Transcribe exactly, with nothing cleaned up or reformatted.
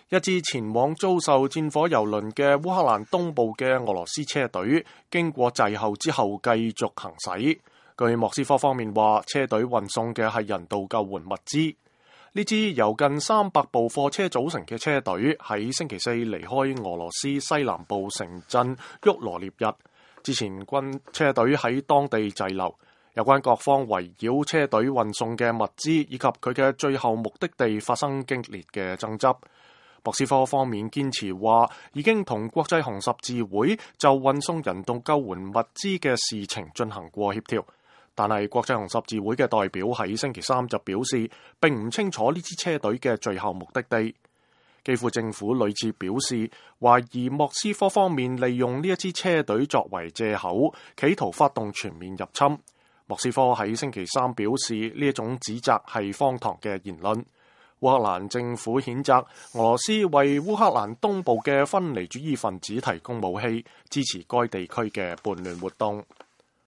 一支前往遭受戰火蹂躪嘅烏克蘭東部嘅俄羅斯車隊，經過滯後之後繼續行駛。據莫斯科方面話，車隊運送嘅係人道救援物資。呢支由近三百部貨車組成嘅車隊喺星期四離開俄羅斯西南部城鎮沃羅涅日。之前軍車隊喺當地滯留，有關各方圍繞車隊運送嘅物資以及佢嘅最後目的地發生激烈嘅爭執。莫斯科方面堅持話，已經同國際紅十字會就運送人道救援物資嘅事情進行過協調，但係國際紅十字會嘅代表喺星期三就表示，並唔清楚呢支車隊嘅最後目的地。基輔政府屢次表示，懷疑莫斯科方面利用呢一支車隊作為藉口，企圖發動全面入侵。莫斯科喺星期三表示，呢一種指責係荒唐嘅言論。烏克蘭政府譴責俄羅斯為烏克蘭東部嘅分離主義分子提供武器，支持該地區嘅叛亂活動。